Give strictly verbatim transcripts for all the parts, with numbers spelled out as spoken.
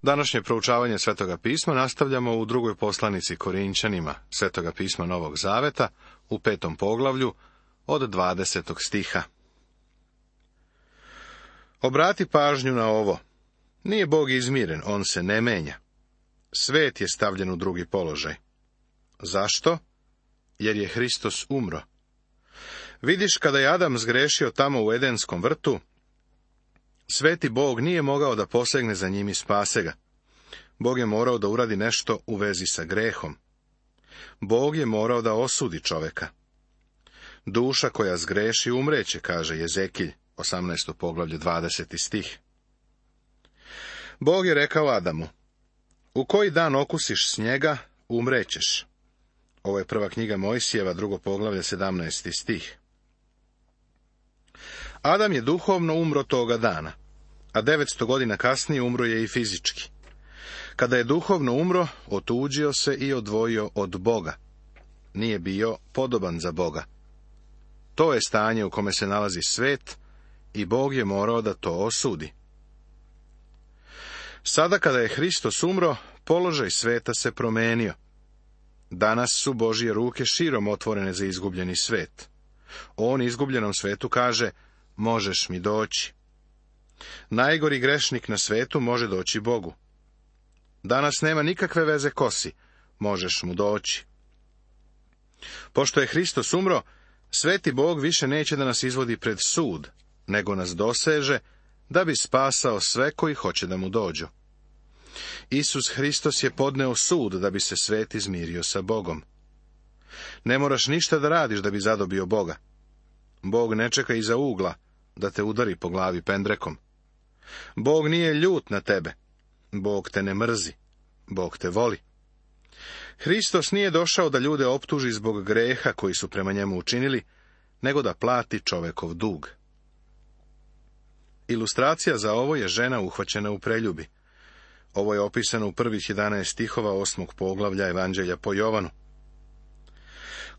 Današnje proučavanje Svetoga pisma nastavljamo u drugoj poslanici Korinćanima, Svetoga pisma Novog Zaveta, u petom poglavlju, od dvadesetog stiha. Obrati pažnju na ovo. Nije Bog izmiren, on se ne menja. Svet je stavljen u drugi položaj. Zašto? Jer je Hristos umro. Vidiš, kada je Adam zgrešio tamo u Edenskom vrtu, sveti Bog nije mogao da posegne za njim i spase ga. Bog je morao da uradi nešto u vezi sa grehom. Bog je morao da osudi čoveka. Duša koja zgreši umreće, kaže Jezekilj, osamnaesto poglavlje, dvadeseti stih. Bog je rekao Adamu, u koji dan okusiš snijega, umrećeš. Ovo je prva knjiga Mojsijeva, drugo poglavlje, sedamnaesti stih. Adam je duhovno umro toga dana, a devetsto godina kasnije umro je i fizički. Kada je duhovno umro, otuđio se i odvojio od Boga. Nije bio podoban za Boga. To je stanje u kome se nalazi svet i Bog je morao da to osudi. Sada kada je Hristos umro, položaj sveta se promenio. Danas su Božje ruke širom otvorene za izgubljeni svet. On izgubljenom svetu kaže, možeš mi doći. Najgori grešnik na svetu može doći Bogu. Danas nema nikakve veze kosi, možeš mu doći. Pošto je Hristos umro, sveti Bog više neće da nas izvodi pred sud, nego nas doseže, da bi spasao sve koji hoće da mu dođu. Isus Hristos je podneo sud da bi se svet izmirio sa Bogom. Ne moraš ništa da radiš da bi zadobio Boga. Bog ne čeka iza ugla da te udari po glavi pendrekom. Bog nije ljut na tebe. Bog te ne mrzi. Bog te voli. Hristos nije došao da ljude optuži zbog greha koji su prema njemu učinili, nego da plati čovekov dug. Ilustracija za ovo je žena uhvaćena u preljubi. Ovo je opisano u prvih jedanaest stihova osmog poglavlja Evanđelja po Jovanu.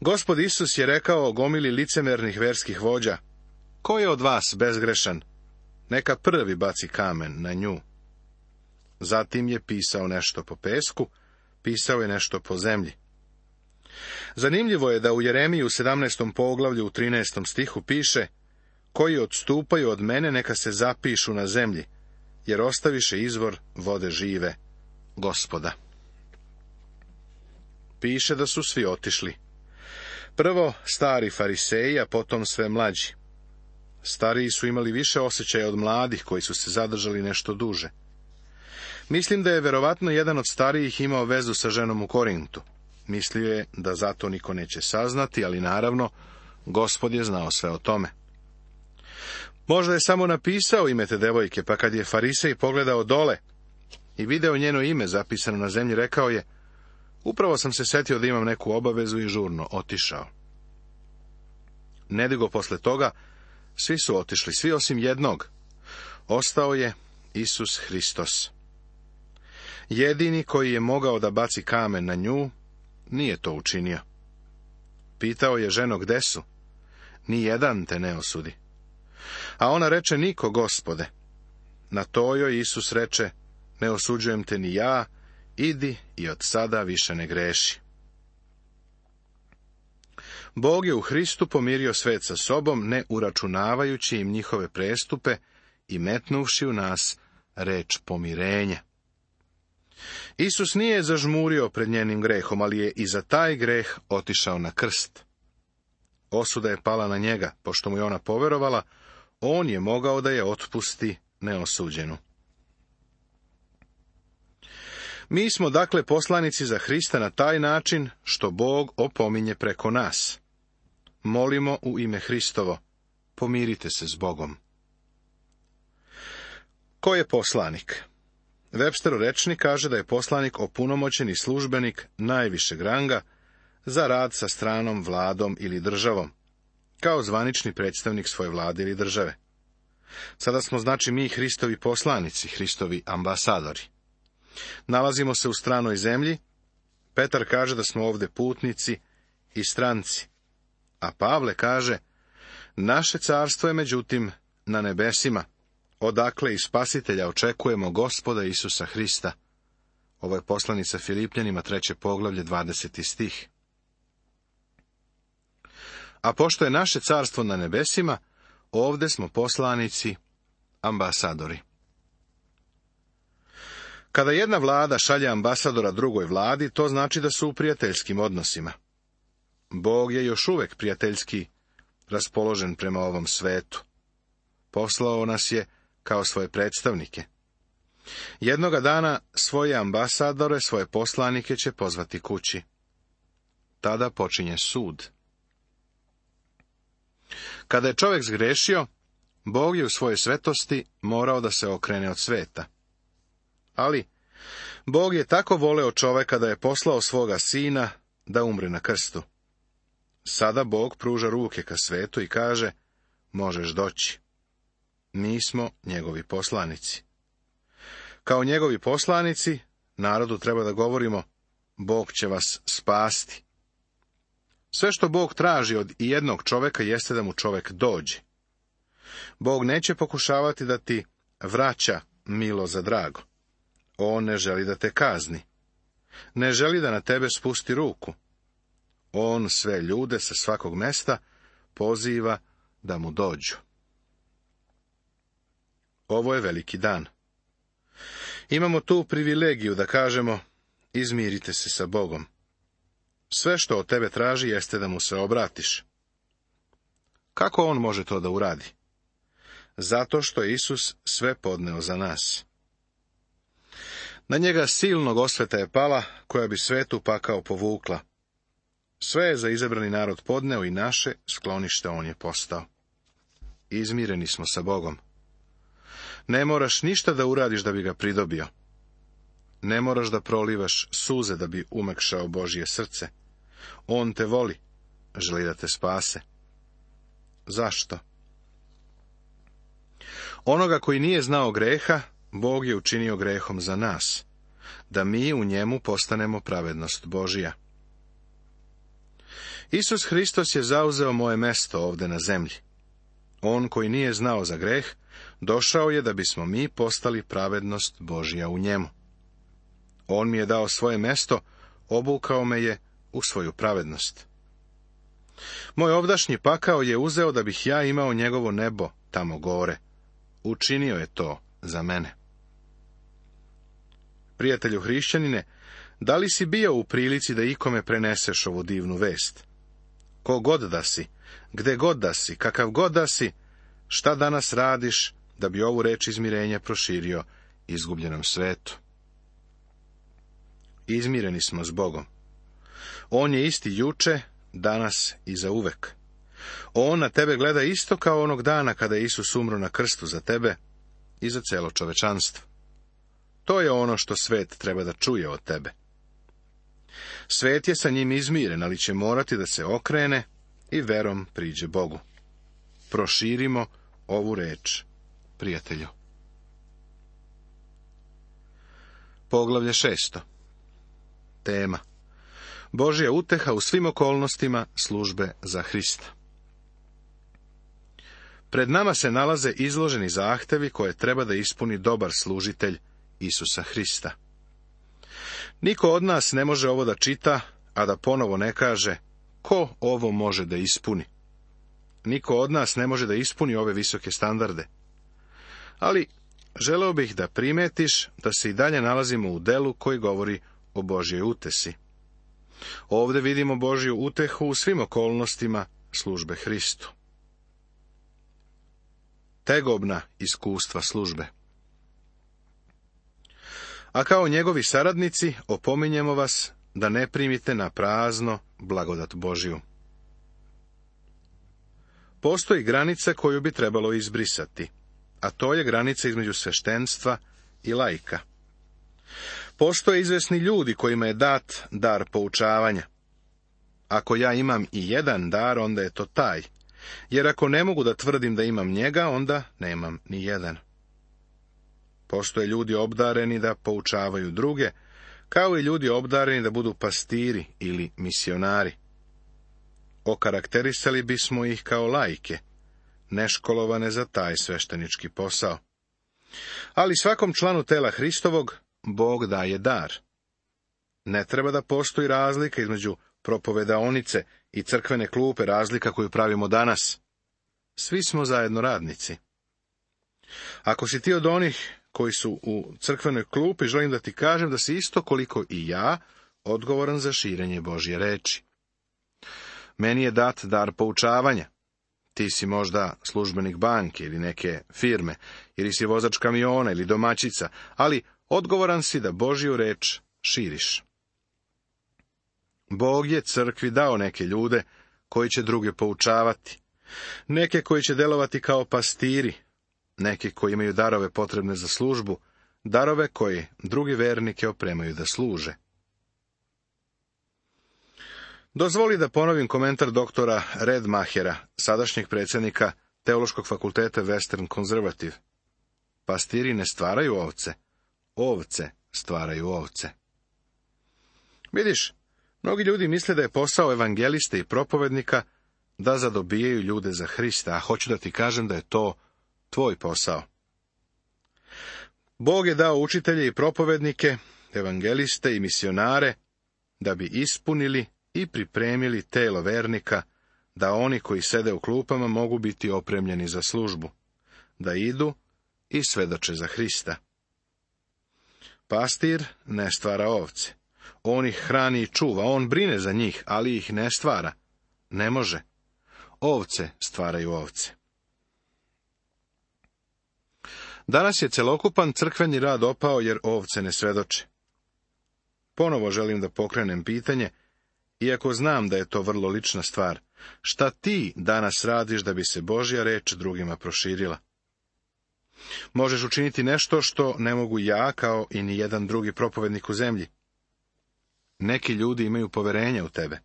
Gospod Isus je rekao gomili licemernih verskih vođa, ko je od vas bezgrešan? Neka prvi baci kamen na nju. Zatim je pisao nešto po pesku, pisao je nešto po zemlji. Zanimljivo je da u Jeremiji u sedamnaestom poglavlju u trinaestom stihu piše, koji odstupaju od mene neka se zapišu na zemlji, jer ostaviše izvor vode žive, Gospoda. Piše da su svi otišli. Prvo stari fariseji, a potom sve mlađi. Stariji su imali više osjećaja od mladih koji su se zadržali nešto duže. Mislim da je verovatno jedan od starijih imao vezu sa ženom u Korintu. Mislio je da zato niko neće saznati, ali naravno, Gospod je znao sve o tome. Možda je samo napisao ime te devojke, pa kad je farisej pogledao dole i video njeno ime zapisano na zemlji, rekao je, upravo sam se setio da imam neku obavezu i žurno otišao. Nedugo posle toga, svi su otišli, svi osim jednog. Ostao je Isus Hristos. Jedini koji je mogao da baci kamen na nju, nije to učinio. Pitao je ženo, gde su? Ni jedan te ne osudi. A ona reče, niko, Gospode. Na to joj Isus reče, ne osuđujem te ni ja, idi i od sada više ne greši. Bog je u Hristu pomirio svet sa sobom, ne uračunavajući im njihove prestupe i metnuvši u nas reč pomirenja. Isus nije zažmurio pred njenim grehom, ali je i za taj greh otišao na krst. Osuda je pala na njega, pošto mu je ona poverovala, on je mogao da je otpusti neosuđenu. Mi smo dakle poslanici za Hrista na taj način što Bog opominje preko nas. Molimo u ime Hristovo, pomirite se s Bogom. Ko je poslanik? Websterov rečnik kaže da je poslanik opunomoćeni službenik najvišeg ranga za rad sa stranom vladom ili državom, kao zvanični predstavnik svoje vlade ili države. Sada smo znači mi Hristovi poslanici, Hristovi ambasadori. Nalazimo se u stranoj zemlji, Petar kaže da smo ovde putnici i stranci, a Pavle kaže, naše carstvo je međutim na nebesima, odakle i spasitelja očekujemo Gospoda Isusa Hrista. Ovo je poslanica Filipljanima, treće poglavlje, dvadeseti stih. A pošto je naše carstvo na nebesima, ovdje smo poslanici, ambasadori. Kada jedna vlada šalje ambasadora drugoj vladi, to znači da su u prijateljskim odnosima. Bog je još uvijek prijateljski raspoložen prema ovom svetu. Poslao nas je kao svoje predstavnike. Jednoga dana svoje ambasadore, svoje poslanike će pozvati kući. Tada počinje sud. Kada je čovjek zgrešio, Bog je u svojoj svetosti morao da se okrene od sveta. Ali, Bog je tako voleo čovjeka da je poslao svoga sina da umre na krstu. Sada Bog pruža ruke ka svetu i kaže, možeš doći. Mi smo njegovi poslanici. Kao njegovi poslanici, narodu treba da govorimo, Bog će vas spasti. Sve što Bog traži od jednog čovjeka jeste da mu čovjek dođe. Bog neće pokušavati da ti vraća milo za drago. On ne želi da te kazni. Ne želi da na tebe spusti ruku. On sve ljude sa svakog mesta poziva da mu dođu. Ovo je veliki dan. Imamo tu privilegiju da kažemo, izmirite se sa Bogom. Sve što od tebe traži jeste da mu se obratiš. Kako on može to da uradi? Zato što je Isus sve podneo za nas. Na njega silnog osveta je pala, koja bi svetu pakao povukla. Sve je za izabrani narod podneo i naše sklonište on je postao. Izmireni smo sa Bogom. Ne moraš ništa da uradiš da bi ga pridobio. Ne moraš da prolivaš suze da bi umekšao Božje srce. On te voli, želi da te spase. Zašto? Onoga koji nije znao greha, Bog je učinio grehom za nas, da mi u njemu postanemo pravednost Božija. Isus Hristos je zauzeo moje mesto ovdje na zemlji. On koji nije znao za greh, došao je da bismo mi postali pravednost Božja u njemu. On mi je dao svoje mesto, obukao me je u svoju pravednost. Moj ovdašnji pakao je uzeo da bih ja imao njegovo nebo tamo gore. Učinio je to za mene. Prijatelju hrišćanine, da li si bio u prilici da ikome preneseš ovu divnu vest? Ko god da si, gde god da si, kakav god da si, šta danas radiš da bi ovu reč izmirenja proširio izgubljenom svetu? Izmireni smo s Bogom. On je isti juče, danas i zauvek. On na tebe gleda isto kao onog dana kada je Isus umro na krstu za tebe i za celo čovečanstvo. To je ono što svet treba da čuje od tebe. Svet je sa njim izmiren, ali će morati da se okrene i verom priđe Bogu. Proširimo ovu reč, prijatelju. Poglavlje šesto. Tema. Božja uteha u svim okolnostima službe za Hrista. Pred nama se nalaze izloženi zahtevi koje treba da ispuni dobar služitelj Isusa Hrista. Niko od nas ne može ovo da čita, a da ponovo ne kaže, ko ovo može da ispuni? Niko od nas ne može da ispuni ove visoke standarde. Ali želeo bih da primetiš da se i dalje nalazimo u delu koji govori o Božjoj utesi. Ovdje vidimo Božju utehu u svim okolnostima službe Hristu. Tegobna iskustva službe. A kao njegovi saradnici opominjemo vas da ne primite na prazno blagodat Božju. Postoji granica koju bi trebalo izbrisati, a to je granica između sveštenstva i laika. Postoje izvesni ljudi kojima je dat dar poučavanja. Ako ja imam i jedan dar, onda je to taj, jer ako ne mogu da tvrdim da imam njega, onda nemam ni jedan. Postoje ljudi obdareni da poučavaju druge, kao i ljudi obdareni da budu pastiri ili misionari. Okarakterisali bismo ih kao laike, neškolovane za taj sveštenički posao. Ali svakom članu tela Hristovog Bog daje dar. Ne treba da postoji razlika između propovedaonice i crkvene klupe, razlika koju pravimo danas. Svi smo zajedno radnici. Ako si ti od onih koji su u crkvenoj klupi, želim da ti kažem da si isto koliko i ja odgovoran za širenje Božje reči. Meni je dat dar poučavanja. Ti si možda službenik banke ili neke firme, ili si vozač kamiona ili domaćica, ali odgovoran si da Božju reč širiš. Bog je crkvi dao neke ljude koji će druge poučavati, neke koji će delovati kao pastiri, neke koji imaju darove potrebne za službu, darove koji drugi vernike opremaju da služe. Dozvoli da ponovim komentar doktora Redmachera, sadašnjeg predsjednika Teološkog fakulteta Western Conservative. Pastiri ne stvaraju ovce, ovce stvaraju ovce. Vidiš, mnogi ljudi misle da je posao evangeliste i propovednika da zadobijaju ljude za Hrista, a hoću da ti kažem da je to tvoj posao. Bog je dao učitelje i propovednike, evangeliste i misionare, da bi ispunili i pripremili telo vernika, da oni koji sede u klupama mogu biti opremljeni za službu, da idu i svedoče za Hrista. Pastir ne stvara ovce. On ih hrani i čuva, on brine za njih, ali ih ne stvara. Ne može. Ovce stvaraju ovce. Danas je celokupan crkveni rad opao jer ovce ne svedoče. Ponovo želim da pokrenem pitanje, iako znam da je to vrlo lična stvar. Šta ti danas radiš da bi se Božja reč drugima proširila? Možeš učiniti nešto što ne mogu ja, kao i ni jedan drugi propovednik u zemlji. Neki ljudi imaju poverenja u tebe.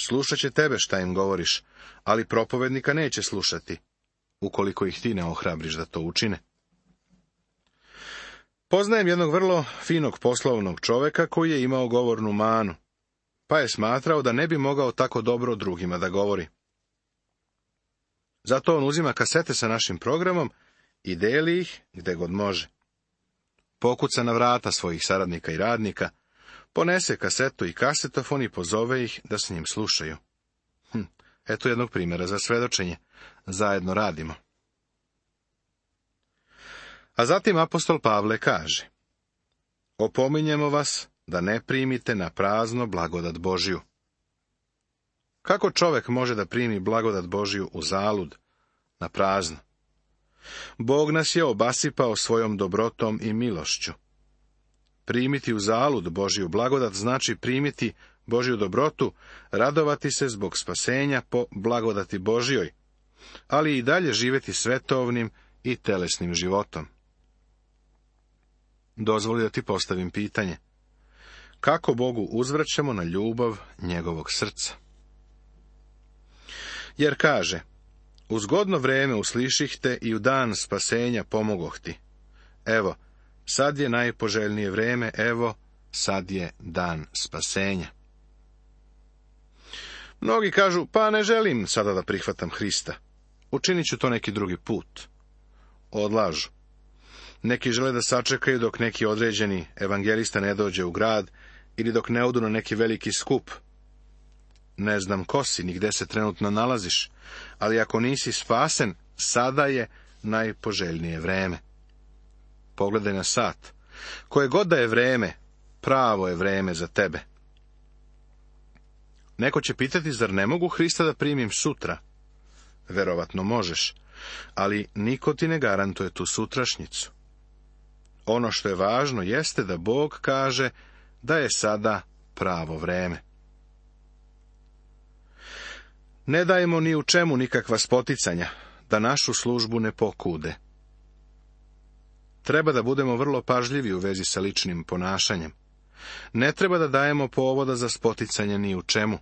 Slušat će tebe šta im govoriš, ali propovednika neće slušati, ukoliko ih ti ne ohrabriš da to učine. Poznajem jednog vrlo finog poslovnog čoveka koji je imao govornu manu, pa je smatrao da ne bi mogao tako dobro drugima da govori. Zato on uzima kasete sa našim programom i deli ih gde god može. Pokuca na vrata svojih saradnika i radnika, ponese kasetu i kasetofon i pozove ih da s njim slušaju. Hm, eto jednog primjera za svedočenje. Zajedno radimo. A zatim apostol Pavle kaže: opominjemo vas da ne primite na prazno blagodat Božju. Kako čovek može da primi blagodat Božju u zalud, na prazno? Bog nas je obasipao svojom dobrotom i milošću. Primiti u zalud Božju blagodat znači primiti Božju dobrotu, radovati se zbog spasenja po blagodati Božjoj, ali i dalje živjeti svetovnim i telesnim životom. Dozvoli da ti postavim pitanje. Kako Bogu uzvraćamo na ljubav njegovog srca? Jer kaže: u zgodno vreme usliših te i u dan spasenja pomogoh ti. Evo, sad je najpoželjnije vreme, evo, sad je dan spasenja. Mnogi kažu: pa ne želim sada da prihvatam Hrista. Učinit ću to neki drugi put. Odlažu. Neki žele da sačekaju dok neki određeni evangelista ne dođe u grad ili dok ne odu na neki veliki skup. Ne znam ko si, ni gde se trenutno nalaziš, ali ako nisi spasen, sada je najpoželjnije vreme. Pogledaj na sat. Koje god da je vreme, pravo je vreme za tebe. Neko će pitati: zar ne mogu Hrista da primim sutra? Verovatno možeš, ali niko ti ne garantuje tu sutrašnjicu. Ono što je važno jeste da Bog kaže da je sada pravo vreme. Ne dajemo ni u čemu nikakva spoticanja, da našu službu ne pokude. Treba da budemo vrlo pažljivi u vezi sa ličnim ponašanjem. Ne treba da dajemo povoda za spoticanje ni u čemu.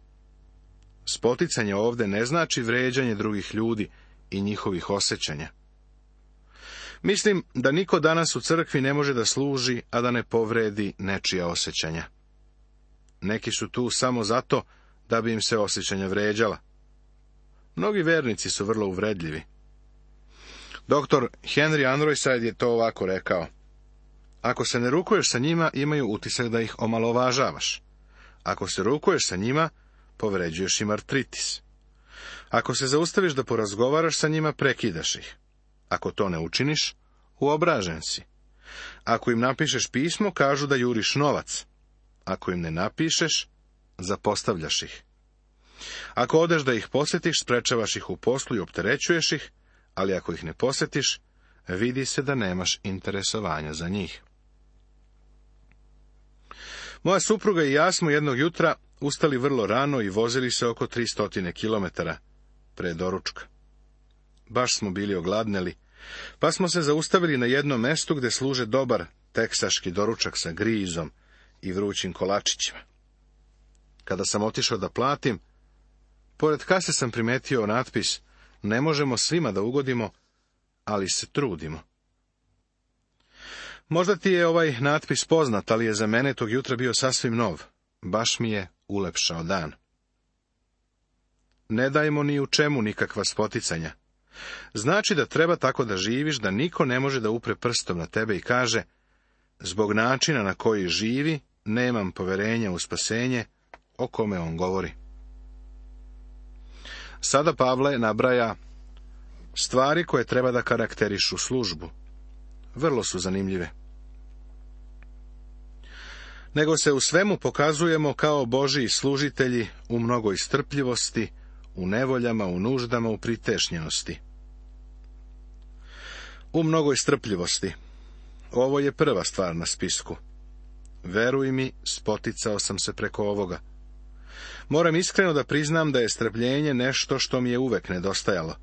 Spoticanje ovde ne znači vređanje drugih ljudi i njihovih osjećanja. Mislim da niko danas u crkvi ne može da služi, a da ne povredi nečija osjećanja. Neki su tu samo zato da bi im se osjećanja vređala. Mnogi vernici su vrlo uvredljivi. Doktor Henry Anroyside je to ovako rekao: ako se ne rukuješ sa njima, imaju utisak da ih omalovažavaš. Ako se rukuješ sa njima, povređuješ im artritis. Ako se zaustaviš da porazgovaraš sa njima, prekidaš ih. Ako to ne učiniš, uobražen si. Ako im napišeš pismo, kažu da juriš novac. Ako im ne napišeš, zapostavljaš ih. Ako odeš da ih posjetiš, sprečavaš ih u poslu i opterećuješ ih, ali ako ih ne posjetiš, vidi se da nemaš interesovanja za njih. Moja supruga i ja smo jednog jutra ustali vrlo rano i vozili se oko tristo kilometara pre doručka. Baš smo bili ogladneli, pa smo se zaustavili na jednom mestu gde služe dobar teksaški doručak sa grizom i vrućim kolačićima. Kada sam otišao da platim, pored kase sam primetio natpis: ne možemo svima da ugodimo, ali se trudimo. Možda ti je ovaj natpis poznat, ali je za mene tog jutra bio sasvim nov. Baš mi je ulepšao dan. Ne dajmo ni u čemu nikakva spoticanja. Znači da treba tako da živiš da niko ne može da upre prstom na tebe i kaže: zbog načina na koji živi, nemam poverenja u spasenje, o kome on govori. Sada Pavle nabraja stvari koje treba da karakterišu službu. Vrlo su zanimljive. Nego se u svemu pokazujemo kao Božiji služitelji u mnogoj strpljivosti, u nevoljama, u nuždama, u pritešnjenosti. U mnogoj strpljivosti. Ovo je prva stvar na spisku. Veruj mi, spoticao sam se preko ovoga. Moram iskreno da priznam da je strpljenje nešto što mi je uvek nedostajalo.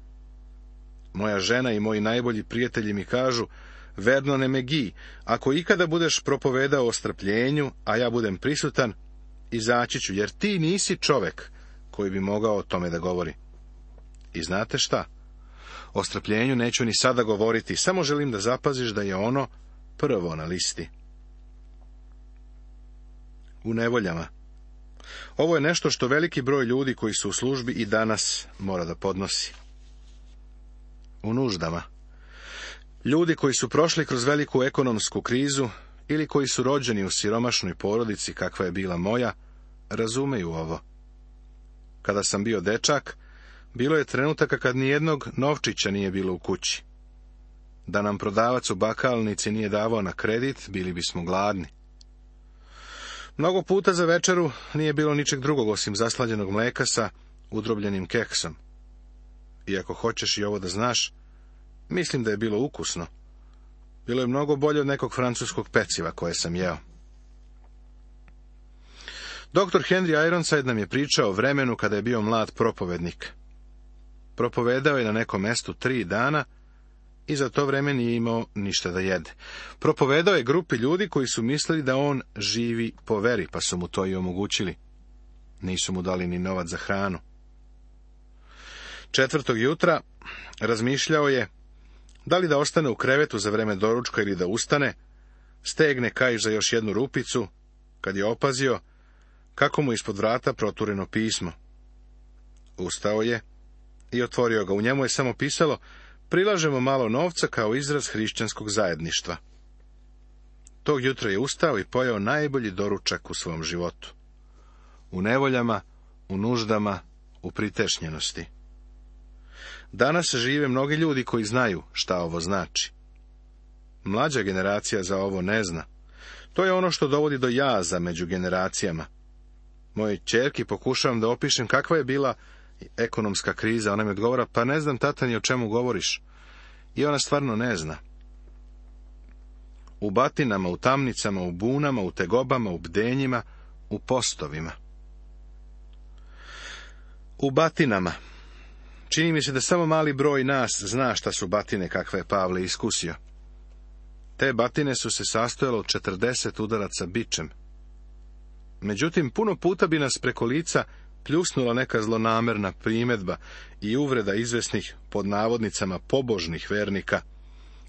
Moja žena i moji najbolji prijatelji mi kažu: Vernone McGee, ako ikada budeš propovedao o strpljenju, a ja budem prisutan, izaći ću, jer ti nisi čovek koji bi mogao o tome da govori. I znate šta? O strpljenju neću ni sada govoriti, samo želim da zapaziš da je ono prvo na listi. U nevoljama. Ovo je nešto što veliki broj ljudi koji su u službi i danas mora da podnosi. U nuždama. Ljudi koji su prošli kroz veliku ekonomsku krizu ili koji su rođeni u siromašnoj porodici kakva je bila moja, razumeju ovo. Kada sam bio dečak, bilo je trenutaka kad nijednog novčića nije bilo u kući. Da nam prodavac u bakalnici nije davao na kredit, bili bismo gladni. Mnogo puta za večeru nije bilo ničeg drugog osim zaslađenog mleka sa udrobljenim keksom. I ako hoćeš i ovo da znaš, mislim da je bilo ukusno. Bilo je mnogo bolje od nekog francuskog peciva koje sam jeo. Doktor Henry Ironside nam je pričao o vremenu kada je bio mlad propovednik. Propovedao je na nekom mestu tri dana i za to vreme nije imao ništa da jede. Propovedao je grupi ljudi koji su mislili da on živi po veri, pa su mu to i omogućili. Nisu mu dali ni novac za hranu. Četvrtog jutra razmišljao je da li da ostane u krevetu za vreme doručka ili da ustane, stegne kaiš za još jednu rupicu, kad je opazio kako mu ispod vrata protureno pismo. Ustao je i otvorio ga. U njemu je samo pisalo: prilažemo malo novca kao izraz hrišćanskog zajedništva. Tog jutra je ustao i pojeo najbolji doručak u svom životu. U nevoljama, u nuždama, u pritešnjenosti. Danas žive mnogi ljudi koji znaju šta ovo znači. Mlađa generacija za ovo ne zna. To je ono što dovodi do jaza među generacijama. Moje ćerki pokušavam da opišem kakva je bila ekonomska kriza. Ona mi odgovara: pa ne znam, tata, ni o čemu govoriš. I ona stvarno ne zna. U batinama, u tamnicama, u bunama, u tegobama, u bdenjima, u postovima. U batinama. Čini mi se da samo mali broj nas zna šta su batine kakve je Pavle iskusio. Te batine su se sastojale od četrdeset udaraca bičem. Međutim, puno puta bi nas preko lica pljusnula neka zlonamerna primedba i uvreda izvesnih, pod navodnicama, pobožnih vernika,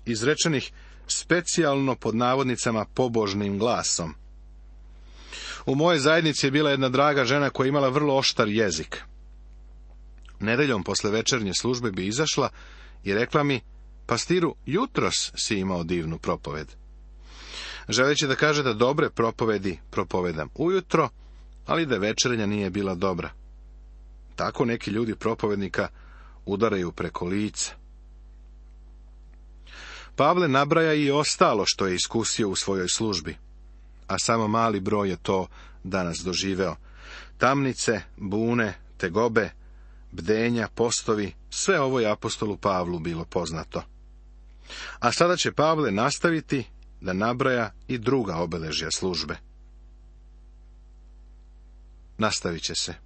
izrečenih specijalno pod navodnicama pobožnim glasom. U mojoj zajednici je bila jedna draga žena koja je imala vrlo oštar jezik. Nedeljom posle večernje službe bi izašla i rekla mi: pastiru, jutros si imao divnu propoved. Želeći da kaže da dobre propovedi propovedam ujutro, ali da večernja nije bila dobra. Tako neki ljudi propovednika udaraju preko lica. Pavle nabraja i ostalo što je iskusio u svojoj službi, a samo mali broj je to danas doživeo. Tamnice, bune, tegobe, bdenja, postovi, sve ovo je apostolu Pavlu bilo poznato. A sada će Pavle nastaviti da nabraja i druga obeležja službe. Nastavit će se.